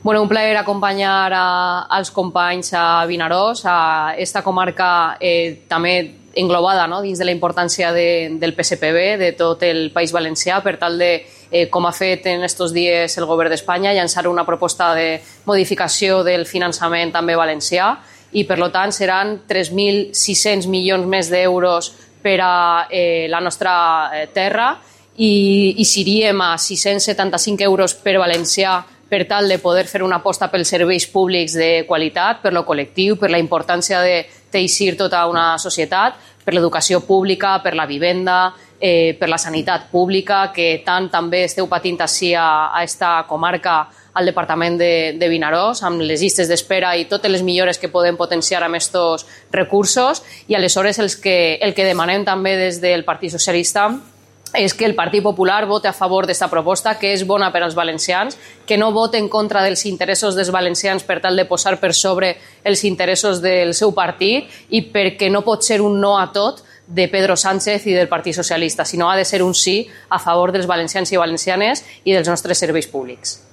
Bueno, un plaer acompanyar als companys a Vinaròs, a esta comarca també englobada dins de la importància del PSPB, de tot el País Valencià, per tal de, com ha fet en estos dies el govern d'Espanya, llançar una proposta de modificació del finançament també valencià i, per tant, seran 3.600 milions més d'euros per a la nostra terra i seríem a 675 euros per valencià per tal de poder fer una aposta pels serveis públics de qualitat, per lo col·lectiu, per la importància de teixir tota una societat, per l'educació pública, per la vivenda, per la sanitat pública, que tant també esteu patint així a esta comarca, al departament de Vinaròs, amb les llistes d'espera i totes les millores que podem potenciar amb aquests recursos. I aleshores el que demanem també des del Partit Socialista és que el Partit Popular vote a favor d'esta proposta, que és bona per als valencians, que no vote en contra dels interessos dels valencians per tal de posar per sobre els interessos del seu partit i perquè no pot ser un no a tot de Pedro Sánchez i del Partit Socialista, sinó ha de ser un sí a favor dels valencians i valencianes i dels nostres serveis públics.